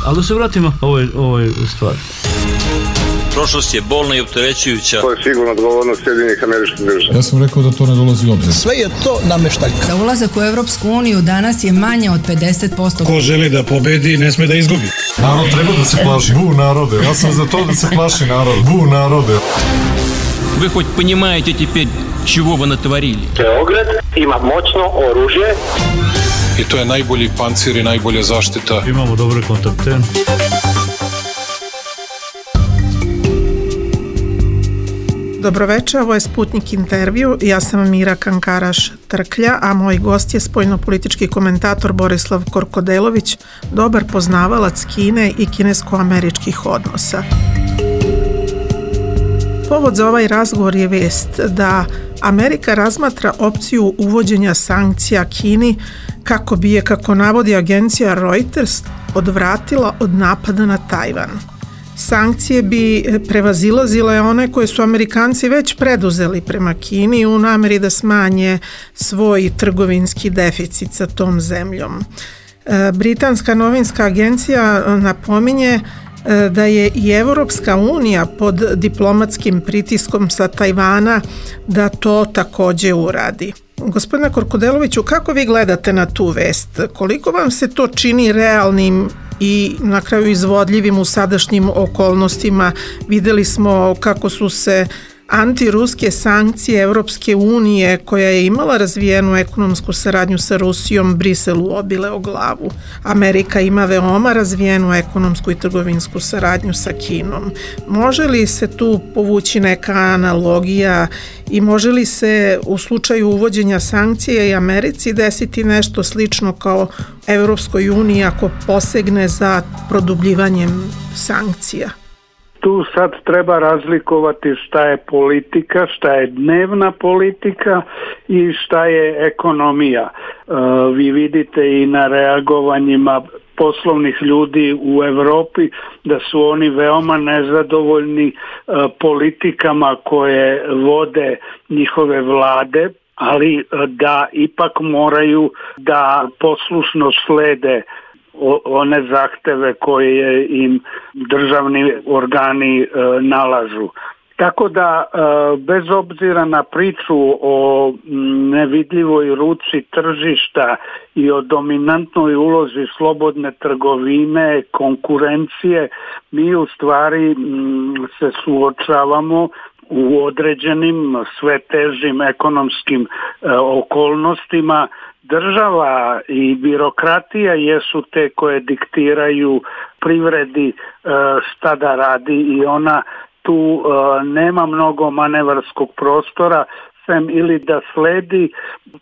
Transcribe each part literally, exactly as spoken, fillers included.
Ali da se vratimo ovoj, ovoj stvari. Prošlost je bolna i opterećujuća. To je sigurno odgovornost Sjedinjenih Američkih Država. Ja sam rekao da to ne dolazi u obzir. Sve je to nameštaljka. Za ulazak u Evropsku uniju danas je manje od pedeset posto. Ko želi da pobedi, ne sme da izgubi. Narod treba da se plaši. Bu narode. Ja sam za to da se plaši narod. Bu narode. Вы хоть понимаете теперь, чего вы натворили? Beograd ima moćno oružje. I to je najbolji pancir i najbolja zaštita. Imamo dobre kontakte. Dobroveče, ovo je Sputnik intervju. Ja sam Mira Kankaraš-Trklja, a moj gost je spoljnopolitički komentator Borislav Korkodelović, dobar poznavalac Kine i kinesko-američkih odnosa. Povod za ovaj razgovor je vest da Amerika razmatra opciju uvođenja sankcija Kini kako bi je, kako navodi agencija Reuters, odvratila od napada na Tajvan. Sankcije bi prevazilazile one koje su Amerikanci već preduzeli prema Kini u nameri da smanje svoj trgovinski deficit sa tom zemljom. Britanska novinska agencija napominje da je i Evropska unija pod diplomatskim pritiskom sa Tajvana da to također uradi. Gospodine Korkodeloviću, kako vi gledate na tu vest? Koliko vam se to čini realnim i na kraju izvodljivim u sadašnjim okolnostima? Vidjeli smo kako su se antiruske sankcije Evropske unije, koja je imala razvijenu ekonomsku saradnju sa Rusijom, Briselu obile o glavu. Amerika ima veoma razvijenu ekonomsku i trgovinsku saradnju sa Kinom. Može li se tu povući neka analogija i može li se u slučaju uvođenja sankcija i Americi desiti nešto slično kao Evropskoj uniji ako posegne za produbljivanjem sankcija? Tu sad treba razlikovati šta je politika, šta je dnevna politika i šta je ekonomija. E, vi vidite i na reagovanjima poslovnih ljudi u Europi da su oni veoma nezadovoljni e, politikama koje vode njihove vlade, ali da ipak moraju da poslušno slede one zahteve koje im državni organi e, nalažu. Tako da e, bez obzira na priču o nevidljivoj ruci tržišta i o dominantnoj ulozi slobodne trgovine, konkurencije, mi u stvari m, se suočavamo u određenim sve težim ekonomskim e, okolnostima. Država i birokratija jesu te koje diktiraju privredi šta da radi i ona tu nema mnogo manevarskog prostora sem ili da sledi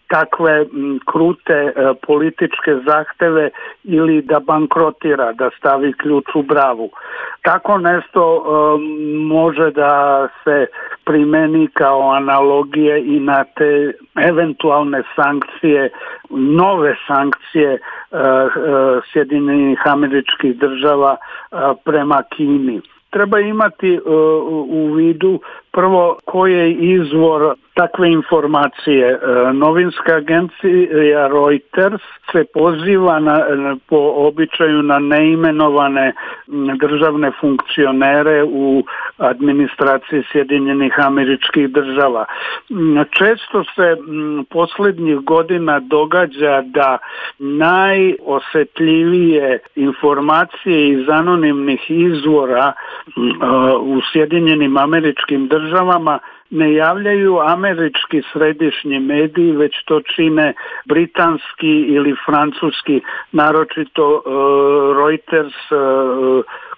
takve krute političke zahteve ili da bankrotira, da stavi ključ u bravu. Tako nešto može da se primeni kao analogije i na te eventualne sankcije, nove sankcije Sjedinjenih Američkih Država prema Kini. Treba imati u vidu prvo koji je izvor takve informacije. Novinska agencija Reuters se poziva na, po običaju na neimenovane državne funkcionere u administraciji Sjedinjenih Američkih Država. Često se posljednjih godina događa da najosjetljivije informacije iz anonimnih izvora u Sjedinjenim Američkim Državama ne javljaju američki središnji mediji, već to čine britanski ili francuski, naročito uh, Reuters, uh,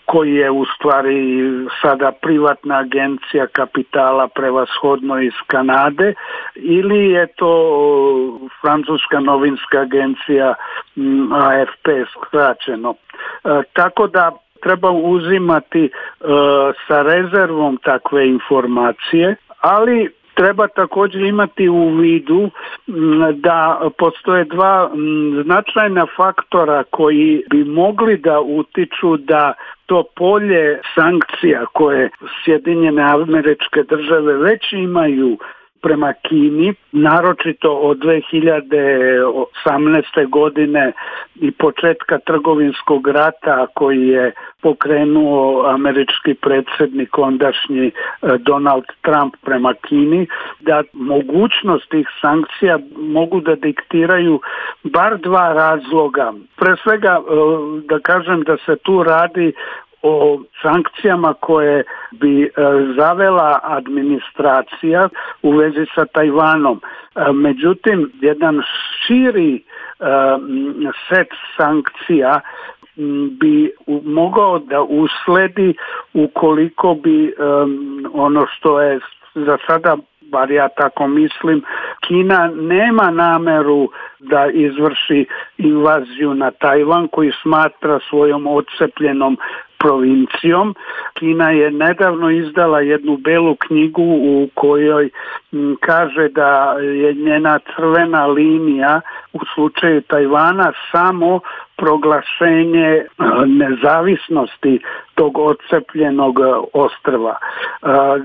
koji je u stvari sada privatna agencija kapitala prevashodno iz Kanade, ili je to francuska novinska agencija A F P skraćeno. Uh, tako da treba uzimati uh, sa rezervom takve informacije, ali treba također imati u vidu da postoje dva značajna faktora koji bi mogli da utiču da to polje sankcija koje Sjedinjene Američke Države već imaju prema Kini, naročito od dve hiljade osamnaeste. godine i početka trgovinskog rata koji je pokrenuo američki predsjednik ondašnji Donald Trump prema Kini, da mogućnost tih sankcija mogu da diktiraju bar dva razloga. Pre svega da kažem da se tu radi o sankcijama koje bi zavela administracija u vezi sa Tajvanom. Međutim, jedan širi set sankcija bi mogao da usledi ukoliko bi ono što je za sada, bar ja tako mislim, Kina nema nameru da izvrši invaziju na Tajvan koji smatra svojom odcepljenom provincijom. Kina je nedavno izdala jednu belu knjigu u kojoj m, kaže da je njena crvena linija u slučaju Tajvana samo proglašenje nezavisnosti tog odcepljenog ostrva.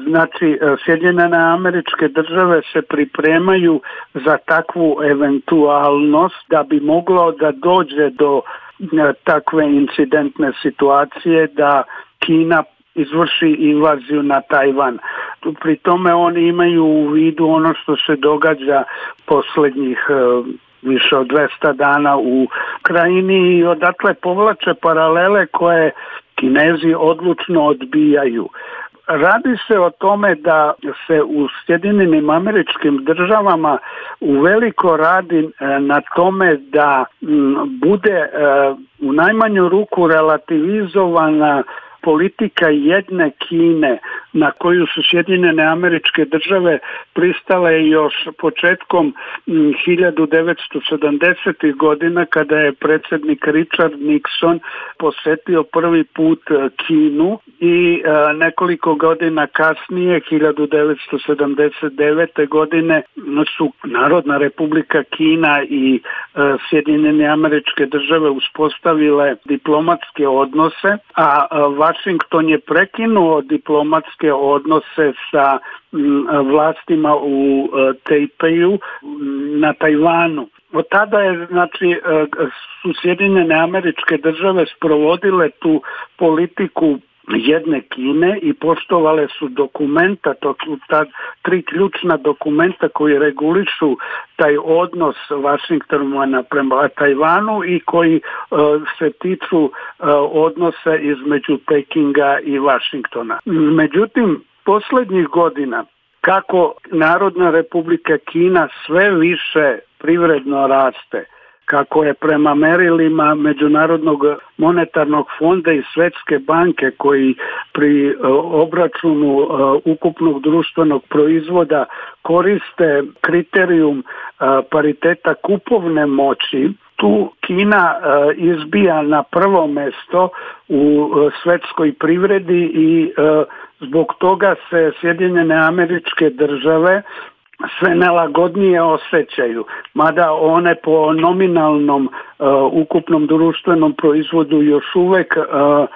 Znači, Sjedinjene Američke Države se pripremaju za takvu eventualnost da bi moglo da dođe do takve incidentne situacije da Kina izvrši invaziju na Tajvan. Pri tome oni imaju u vidu ono što se događa posljednjih više od dvesta dana u Krajini i odatle povlače paralele koje Kinezi odlučno odbijaju. Radi se o tome da se u Sjedinjenim Američkim Državama uveliko radi na tome da bude u najmanju ruku relativizovana politika jedne Kine na koju su Sjedinjene Američke Države pristale još početkom hiljadu devetsto sedamdesetih. godina kada je predsjednik Richard Nixon posetio prvi put Kinu i nekoliko godina kasnije, hiljadu devetsto sedamdeset devete. godine, su Narodna Republika Kina i Sjedinjene Američke Države uspostavile diplomatske odnose, a Washington je prekinuo diplomatske odnose sa vlastima u Tajpeju na Tajvanu. Od tada je, znači, su Sjedinjene Američke Države sprovodile tu politiku jedne Kine i poštovale su dokumenta, to su ta tri ključna dokumenta koji regulišu taj odnos Washingtona prema Tajvanu i koji uh, se tiču uh, odnosa između Pekinga i Washingtona. Međutim, posljednjih godina, kako Narodna Republika Kina sve više privredno raste, kako je prema merilima Međunarodnog monetarnog fonda i Svjetske banke koji pri obračunu ukupnog društvenog proizvoda koriste kriterijum pariteta kupovne moći, tu Kina izbija na prvo mjesto u svjetskoj privredi i zbog toga se Sjedinjene Američke Države sve nelagodnije osjećaju, mada one po nominalnom uh, ukupnom društvenom proizvodu još uvek uh, uh,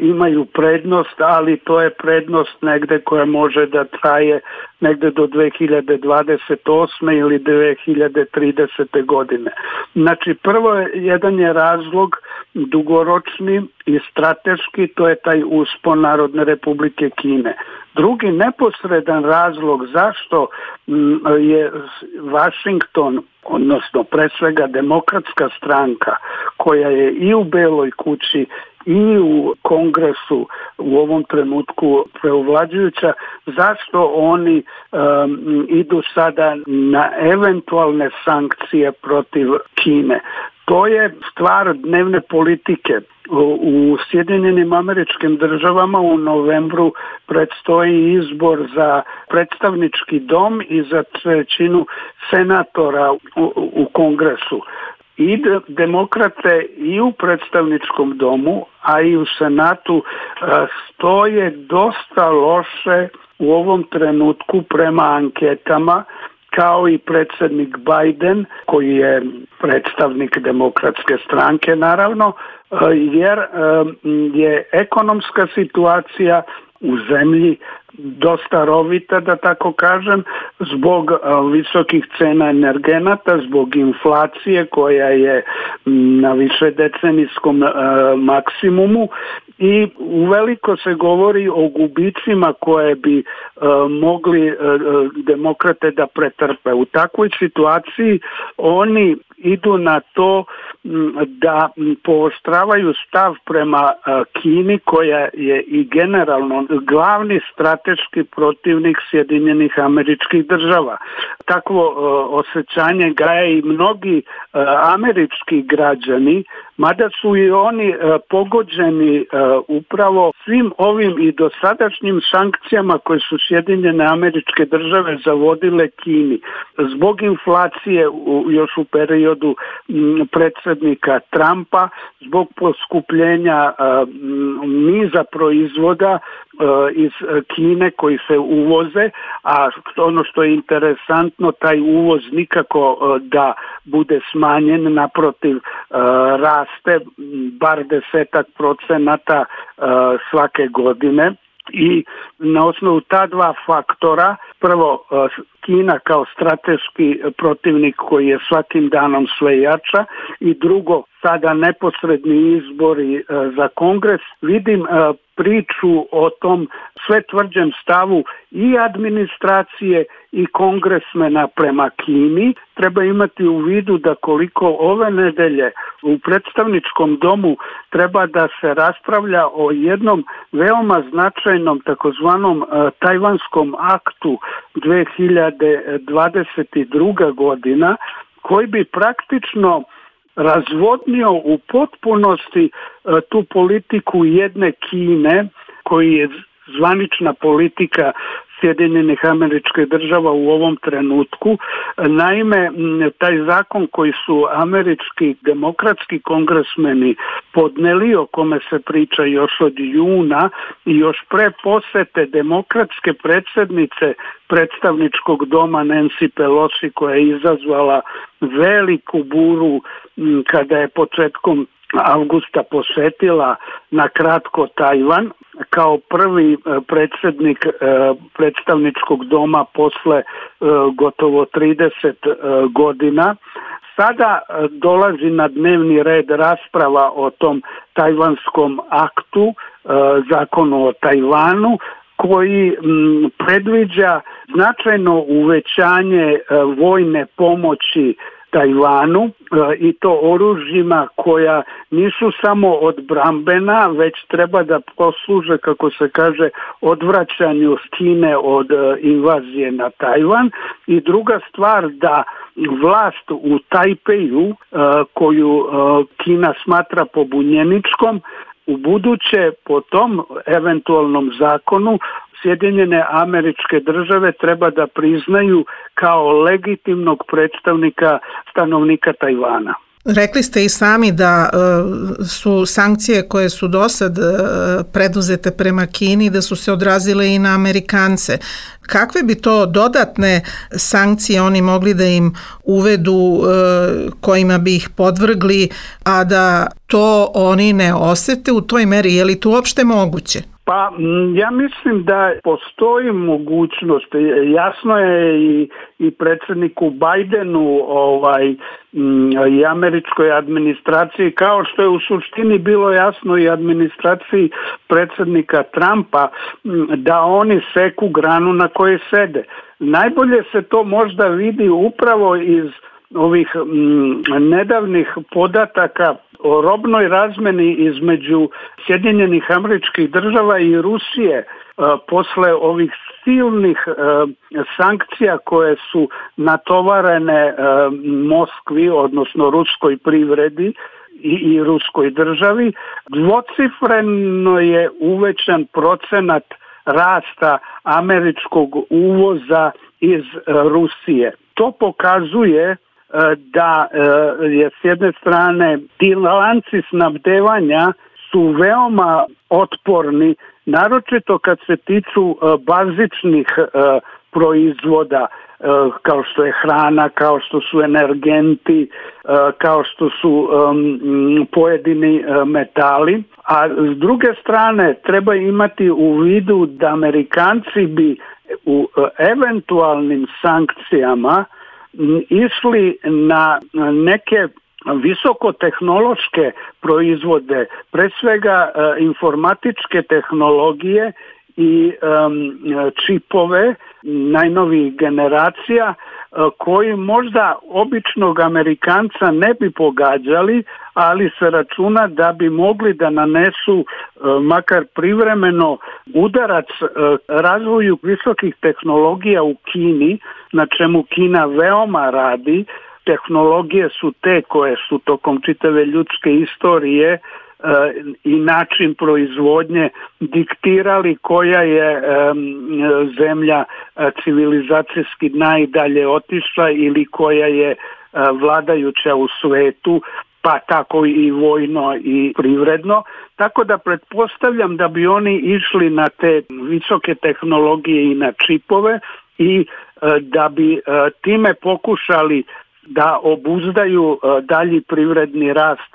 imaju prednost, ali to je prednost negde koja može da traje negde do dve hiljade dvadeset osme ili dve hiljade tridesete. godine. Znači, prvo je, jedan je razlog dugoročni i strateški, to je taj uspon Narodne Republike Kine. Drugi neposredan razlog zašto je Washington, odnosno pre svega Demokratska stranka, koja je i u Beloj kući i u Kongresu u ovom trenutku preovlađujuća, zašto oni um, idu sada na eventualne sankcije protiv Kine. To je stvar dnevne politike. U Sjedinjenim Američkim Državama u novembru predstoji izbor za predstavnički dom i za trećinu senatora u, u Kongresu. I demokrate i u predstavničkom domu, a i u senatu stoje dosta loše u ovom trenutku prema anketama, kao i predsjednik Biden, koji je predstavnik Demokratske stranke, naravno, jer je ekonomska situacija u zemlji dosta rovita, da tako kažem, zbog visokih cena energenata, zbog inflacije koja je na višedecenijskom maksimumu i uveliko se govori o gubicima koje bi mogli demokrate da pretrpe. U takvoj situaciji oni idu na to da pooštravaju stav prema Kini, koja je i generalno glavni strateški protivnik Sjedinjenih Američkih Država. Takvo osjećanje gaje i mnogi američki građani, mada su i oni pogođeni upravo svim ovim i dosadašnjim sankcijama koje su Sjedinjene Američke Države zavodile Kini. Zbog inflacije još u periodu predsjednika Trumpa, zbog poskupljenja niza proizvoda iz Kine koji se uvoze, a ono što je interesantno, taj uvoz nikako da bude smanjen, naprotiv raste bar desetak procenata svake godine. I na osnovu ta dva faktora, prvo Kina kao strateški protivnik koji je svakim danom sve jača i drugo sada neposredni izbori za Kongres, vidim priču o tom sve tvrđem stavu i administracije i kongresmena prema Kini. Treba imati u vidu da koliko ove nedelje u predstavničkom domu treba da se raspravlja o jednom veoma značajnom takozvanom tajvanskom aktu dve hiljade dvadeset druga godina, koji bi praktično razvodnio u potpunosti tu politiku jedne Kine, koji je zvanična politika Sjedinjenih Američkih Država u ovom trenutku. Naime, taj zakon koji su američki demokratski kongresmeni podneli, o kome se priča još od juna i još pre posete demokratske predsjednice predstavničkog doma Nancy Pelosi, koja je izazvala veliku buru kada je početkom avgusta posetila na kratko Tajvan kao prvi predsjednik predstavničkog doma posle gotovo trideset godina. Sada dolazi na dnevni red rasprava o tom tajvanskom aktu, zakonu o Tajvanu, koji predviđa značajno uvećanje vojne pomoći Tajvanu i to oružjima koja nisu samo odbrambena, već treba da posluže, kako se kaže, odvraćanju Kine od invazije na Tajvan. I druga stvar, da vlast u Tajpeju, koju Kina smatra pobunjeničkom, u buduće po tom eventualnom zakonu Sjedinjene Američke Države treba da priznaju kao legitimnog predstavnika stanovnika Tajvana. Rekli ste i sami da su sankcije koje su do sad preduzete prema Kini, da su se odrazile i na Amerikance. Kakve bi to dodatne sankcije oni mogli da im uvedu, kojima bi ih podvrgli, a da to oni ne osete u toj meri? Je li to uopšte moguće? Pa ja mislim da postoji mogućnost, jasno je i, i predsjedniku Bidenu ovaj, i američkoj administraciji, kao što je u suštini bilo jasno i administraciji predsjednika Trumpa, da oni seku granu na kojoj sede. Najbolje se to možda vidi upravo iz ovih m, nedavnih podataka o robnoj razmeni između Sjedinjenih Američkih Država i Rusije a, posle ovih silnih a, sankcija koje su natovarene a, Moskvi, odnosno ruskoj privredi i, i ruskoj državi. Dvocifreno je uvećan procenat rasta američkog uvoza iz a, Rusije. To pokazuje da je s jedne strane ti lanci snabdevanja su veoma otporni, naročito kad se tiču bazičnih proizvoda kao što je hrana, kao što su energenti, kao što su pojedini metali. A s druge strane treba imati u vidu da Amerikanci bi u eventualnim sankcijama išli na neke visokotehnološke proizvode, pre svega informatičke tehnologije i um, čipove najnovijih generacija koji možda običnog Amerikanca ne bi pogađali, ali se računa da bi mogli da nanesu makar privremeno udarac razvoju visokih tehnologija u Kini, na čemu Kina veoma radi. Tehnologije su te koje su tokom čitave ljudske istorije i način proizvodnje diktirali koja je zemlja civilizacijski najdalje otišla ili koja je vladajuća u svetu, pa tako i vojno i privredno. Tako da pretpostavljam da bi oni išli na te visoke tehnologije i na čipove i da bi time pokušali da obuzdaju dalji privredni rast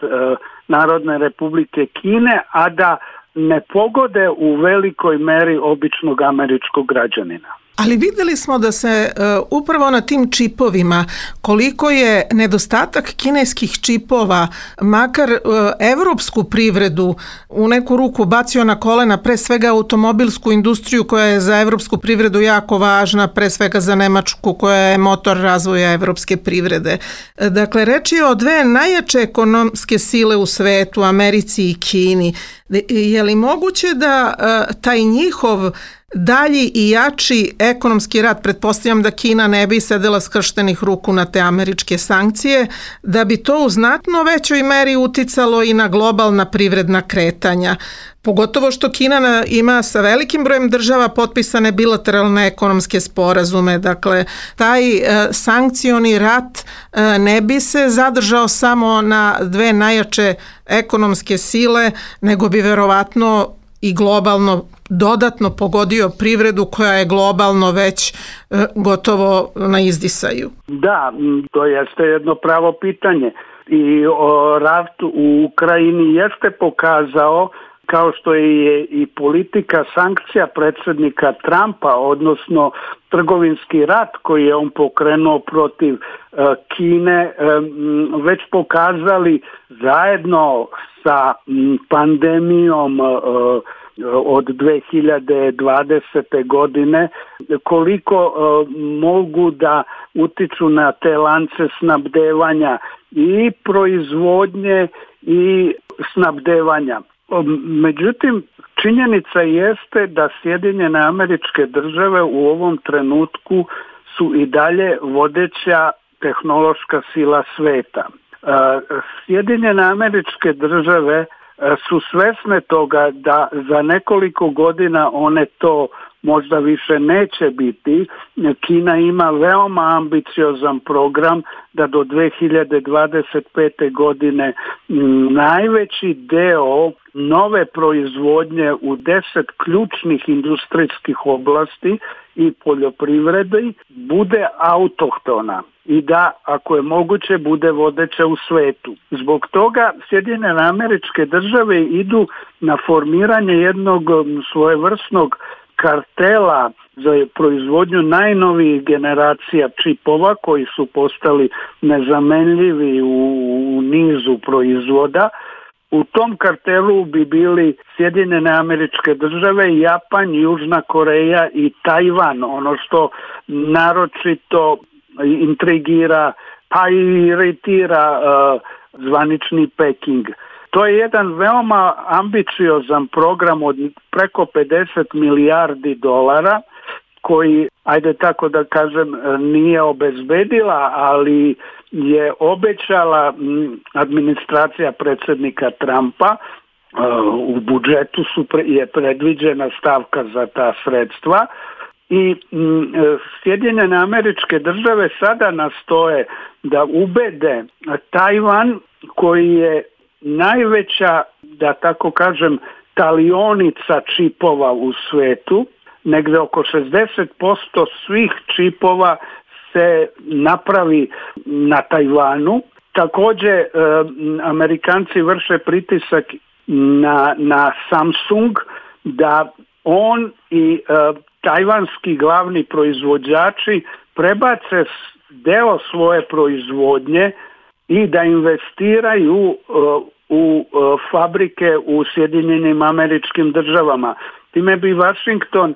Narodne Republike Kine, a da ne pogode u velikoj meri običnog američkog građanina. Ali vidjeli smo da se uh, upravo na tim čipovima, koliko je nedostatak kineskih čipova, makar uh, evropsku privredu u neku ruku bacio na kolena, pre svega automobilsku industriju koja je za evropsku privredu jako važna, pre svega za Nemačku koja je motor razvoja evropske privrede. Dakle, reč je o dve najjače ekonomske sile u svetu, Americi i Kini. Je li moguće da uh, taj njihov dalji i jači ekonomski rat, pretpostavljam da Kina ne bi sedela skrštenih ruku na te američke sankcije, da bi to u znatno većoj meri uticalo i na globalna privredna kretanja. Pogotovo što Kina ima sa velikim brojem država potpisane bilateralne ekonomske sporazume. Dakle, taj e, sankcioni rat e, ne bi se zadržao samo na dve najjače ekonomske sile, nego bi verovatno i globalno dodatno pogodio privredu koja je globalno već e, gotovo na izdisaju. Da, to jeste jedno pravo pitanje. I o, rat u Ukrajini jeste pokazao, kao što je i politika sankcija predsjednika Trumpa, odnosno trgovinski rat koji je on pokrenuo protiv e, Kine, e, već pokazali zajedno sa m, pandemijom e, od dve hiljade dvadesete. godine, koliko uh, mogu da utiču na te lance snabdevanja i proizvodnje i snabdevanja. Međutim, činjenica jeste da Sjedinjene Američke Države u ovom trenutku su i dalje vodeća tehnološka sila sveta. Uh, Sjedinjene Američke Države su svesne toga da za nekoliko godina one to možda više neće biti. Kina ima veoma ambiciozan program da do dve hiljade dvadeset pete. godine najveći deo nove proizvodnje u deset ključnih industrijskih oblasti i poljoprivredi bude autohtona i da, ako je moguće, bude vodeća u svetu. Zbog toga Sjedinjene Američke Države idu na formiranje jednog svojevrsnog kartela za proizvodnju najnovijih generacija čipova koji su postali nezamenljivi u, u nizu proizvoda. U tom kartelu bi bili Sjedinjene Američke Države, Japan, Južna Koreja i Tajvan, ono što naročito intrigira pa i iritira uh, zvanični Peking. To je jedan veoma ambiciozan program od preko pedeset milijardi dolara koji, ajde tako da kažem, nije obezbedila, ali je obećala administracija predsjednika Trumpa. U budžetu su je predviđena stavka za ta sredstva i Sjedinjene Američke Države sada nastoje da ubede Tajvan, koji je najveća, da tako kažem, talionica čipova u svetu, negde oko šezdeset posto svih čipova se napravi na Tajvanu. Također e, Amerikanci vrše pritisak na, na Samsung da on i e, tajvanski glavni proizvođači prebace deo svoje proizvodnje i da investiraju e, u e, fabrike u Sjedinjenim Američkim Državama. Time bi Washington e,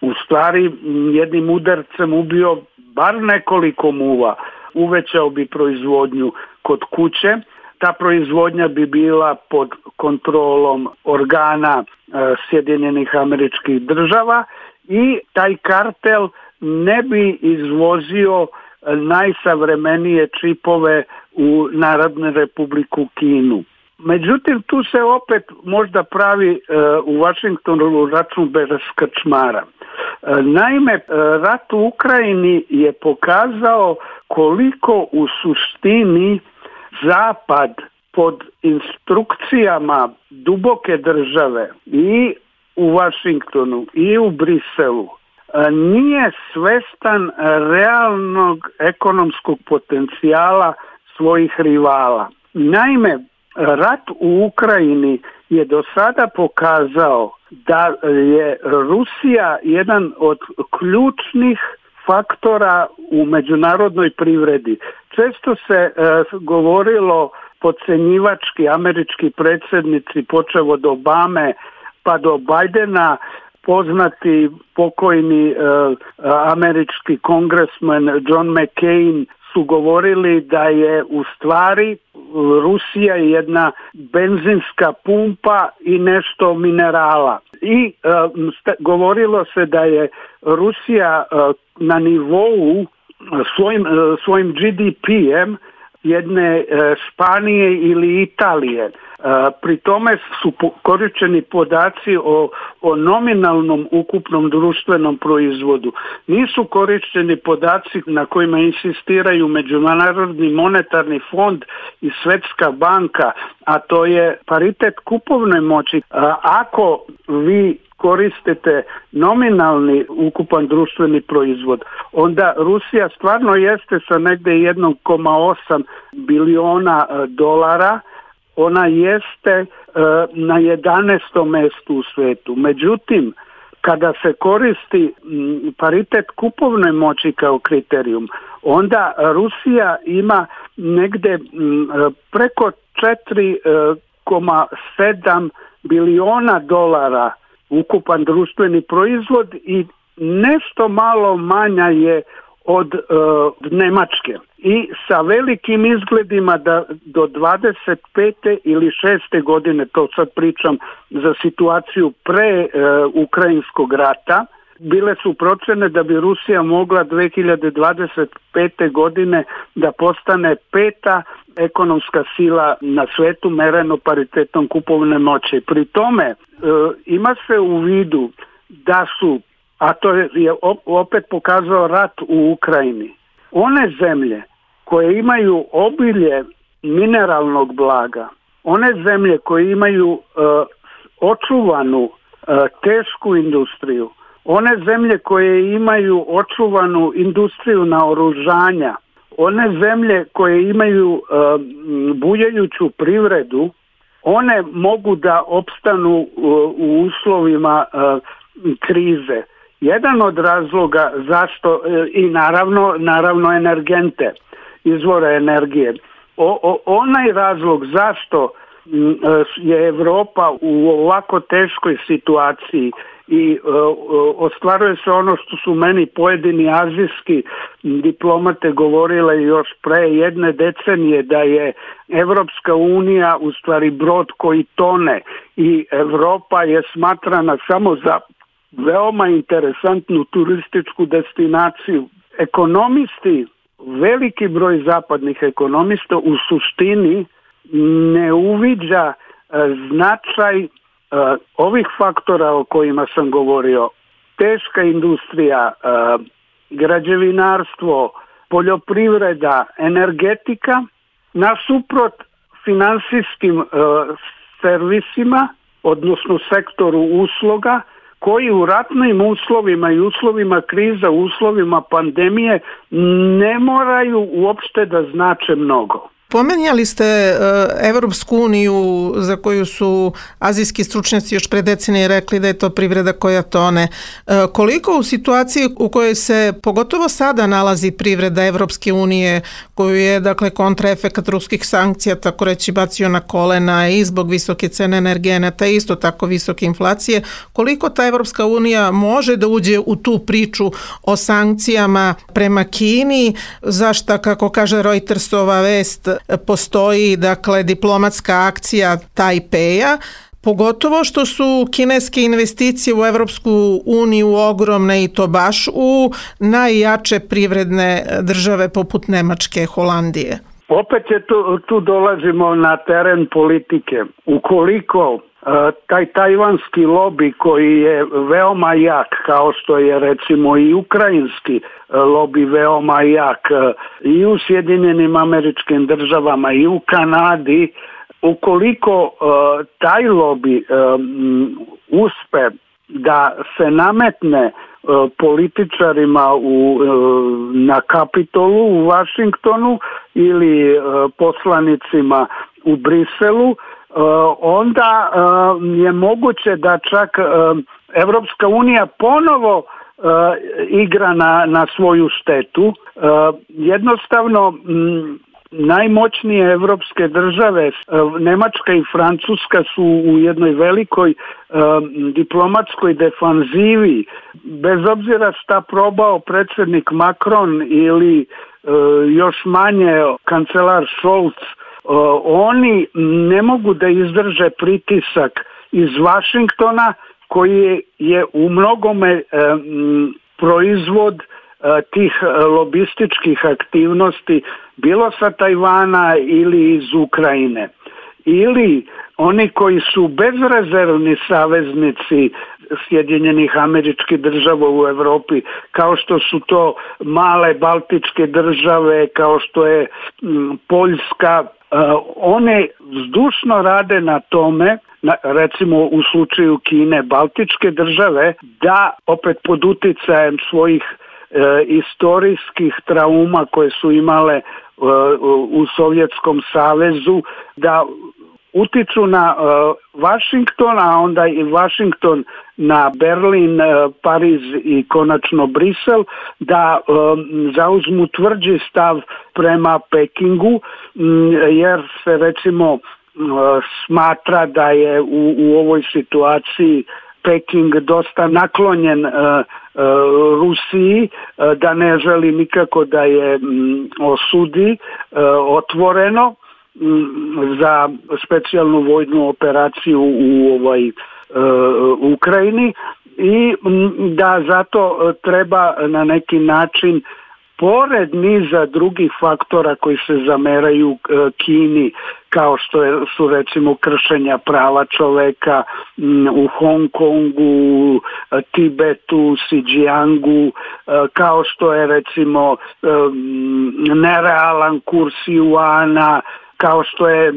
u stvari jednim udarcem ubio bar nekoliko muva. Uvećao bi proizvodnju kod kuće, ta proizvodnja bi bila pod kontrolom organa e, Sjedinjenih Američkih Država i taj kartel ne bi izvozio najsavremenije čipove u Narodnu Republiku Kinu. Međutim, tu se opet možda pravi e, u Washingtonu račun bez krčmara. E, naime, e, rat u Ukrajini je pokazao koliko u suštini Zapad pod instrukcijama duboke države i u Washingtonu i u Briselu nije svestan realnog ekonomskog potencijala svojih rivala. Naime, rat u Ukrajini je do sada pokazao da je Rusija jedan od ključnih faktora u međunarodnoj privredi. Često se e, govorilo podcenjivački američki predsjednici, počev od Obame pa do Bidena, poznati pokojni e, američki kongresmen John McCain su govorili da je u stvari Rusija jedna benzinska pumpa i nešto minerala. I e, st- govorilo se da je Rusija e, na nivou svojim, e, svojim G D P-em jedne e, Španije ili Italije. E, pri tome su po- korišteni podaci o, o nominalnom ukupnom društvenom proizvodu. Nisu korišteni podaci na kojima insistiraju Međunarodni monetarni fond i Svjetska banka, a to je paritet kupovne moći. E, ako vi koristite nominalni ukupan društveni proizvod, onda Rusija stvarno jeste sa negdje jedan zarez osam biliona dolara, ona jeste e, na jedanaestom mjestu u svijetu. Međutim, kada se koristi m, paritet kupovne moći kao kriterijum, onda Rusija ima negdje m, preko četiri zarez sedam biliona dolara ukupan društveni proizvod i nešto malo manja je od uh, Njemačke. I sa velikim izgledima da do dvadeset pete ili šeste godine, to sad pričam za situaciju pre uh, Ukrajinskog rata, bile su procjene da bi Rusija mogla dve hiljade dvadeset pete godine da postane peta ekonomska sila na svetu mereno paritetom kupovne moći. Pri tome e, ima se u vidu da su, a to je opet pokazao rat u Ukrajini, one zemlje koje imaju obilje mineralnog blaga, one zemlje koje imaju e, očuvanu e, tešku industriju, one zemlje koje imaju očuvanu industriju naoružanja, one zemlje koje imaju uh, bujajuću privredu, one mogu da opstanu uh, u uslovima uh, krize. Jedan od razloga zašto, uh, i naravno, naravno energente, izvore energije. O, o, onaj razlog zašto uh, je Europa u ovako teškoj situaciji i uh, ostvaruje se ono što su meni pojedini azijski diplomate govorile još pre jedne decenije, da je Evropska unija u stvari brod koji tone i Europa je smatrana samo za veoma interesantnu turističku destinaciju. Ekonomisti, veliki broj zapadnih ekonomista u suštini ne uviđa uh, značaj Uh, ovih faktora o kojima sam govorio, teška industrija, uh, građevinarstvo, poljoprivreda, energetika, nasuprot finansijskim uh, servisima, odnosno sektoru usluga, koji u ratnim uslovima i uslovima kriza, u uslovima pandemije ne moraju uopšte da znače mnogo. Pomenjali ste Evropsku uniju za koju su azijski stručnjaci još pre decenije rekli da je to privreda koja tone. Koliko u situaciji u kojoj se pogotovo sada nalazi privreda Evropske unije, koju je dakle kontraefekat ruskih sankcija tako reći bacio na kolena i zbog visoke cene energenata i isto tako visoke inflacije, koliko ta Evropska unija može da uđe u tu priču o sankcijama prema Kini, zašta kako kaže Reutersova vest postoji dakle diplomatska akcija Tajpeja, pogotovo što su kineske investicije u Evropsku uniju ogromne i to baš u najjače privredne države poput Nemačke, Holandije. Opet je tu, tu dolazimo na teren politike. Ukoliko taj tajvanski lobi koji je veoma jak, kao što je recimo i ukrajinski lobi veoma jak i u Sjedinjenim Američkim Državama i u Kanadi, ukoliko taj lobi uspe da se nametne političarima u, na Kapitolu u Vašingtonu ili poslanicima u Briselu, onda je moguće da čak Evropska unija ponovo igra na, na svoju štetu. Jednostavno najmoćnije evropske države, Nemačka i Francuska, su u jednoj velikoj diplomatskoj defanzivi. Bez obzira šta probao predsjednik Macron ili još manje kancelar Scholz, oni ne mogu da izdrže pritisak iz Vašingtona koji je u mnogome proizvod tih lobističkih aktivnosti, bilo sa Tajvana ili iz Ukrajine. Ili oni koji su bezrezervni saveznici Sjedinjenih Američkih Država u Evropi, kao što su to male baltičke države, kao što je Poljska, one zdušno rade na tome, recimo u slučaju Kine, baltičke države, da opet pod uticajem svojih e, istorijskih trauma koje su imale e, u Sovjetskom savezu, da utiču na e, Vašington, a onda i Vašington na Berlin, e, Pariz i konačno Brisel, da e, zauzmu tvrđi stav prema Pekingu, m, jer se recimo smatra da je u, u ovoj situaciji Peking dosta naklonjen uh, uh, Rusiji, uh, da ne želi nikako da je um, osudi uh, otvoreno um, za specijalnu vojnu operaciju u ovoj uh, Ukrajini i um, da zato treba na neki način, pored niza drugih faktora koji se zameraju Kini, kao što je, su recimo kršenja prava čoveka u Hong Kongu, Tibetu, Xinjiangu, kao što je recimo nerealan kurs juana, kao što je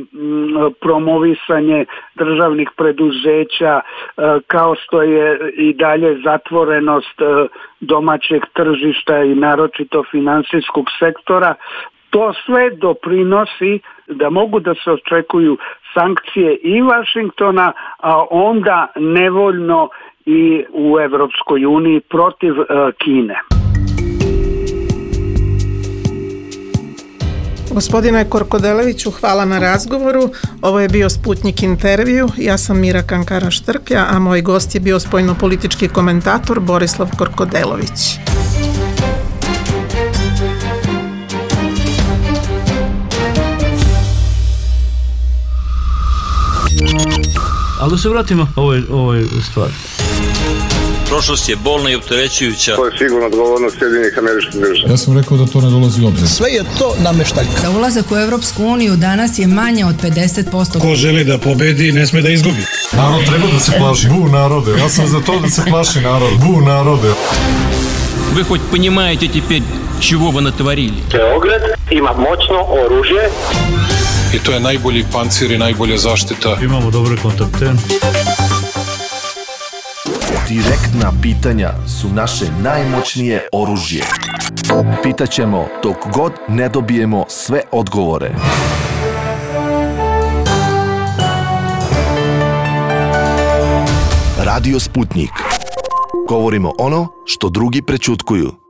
promovisanje državnih preduzeća, kao što je i dalje zatvorenost domaćeg tržišta i naročito finansijskog sektora. To sve doprinosi da mogu da se očekuju sankcije i Vašingtona, a onda nevoljno i u Evropskoj uniji protiv Kine. Gospodine Korkodeleviću, hvala na razgovoru. Ovo je bio Sputnik intervju. Ja sam Mira Kankara-Štrklja, a moj gost je bio spoljnopolitički komentator Borislav Korkodelović. Ali da se vratimo ovoj, ovoj stvari. Prošlost je bolna i opterećujuća. To je sigurno odgovornost Sjedinjenih Američkih Država. Ja sam rekao da to ne dolazi u obzir. Sve je to nameštaljka. Za ulazak u Evropsku uniju danas je manje od pedeset posto. Ko želi da pobedi, ne sme da izgubi. Narod treba da se plaši. Bu narode. Ja sam za to da se plaši narod. Bu narode. Вы хоть понимаете теперь, чего вы натворили? Beograd ima moćno oružje. I to je najbolji pancir i najbolja zaštita. Imamo dobre kontakte. Direktna pitanja su naše najmoćnije oružje. Pitaćemo dok god ne dobijemo sve odgovore. Radio Sputnik. Govorimo ono što drugi prećutkuju.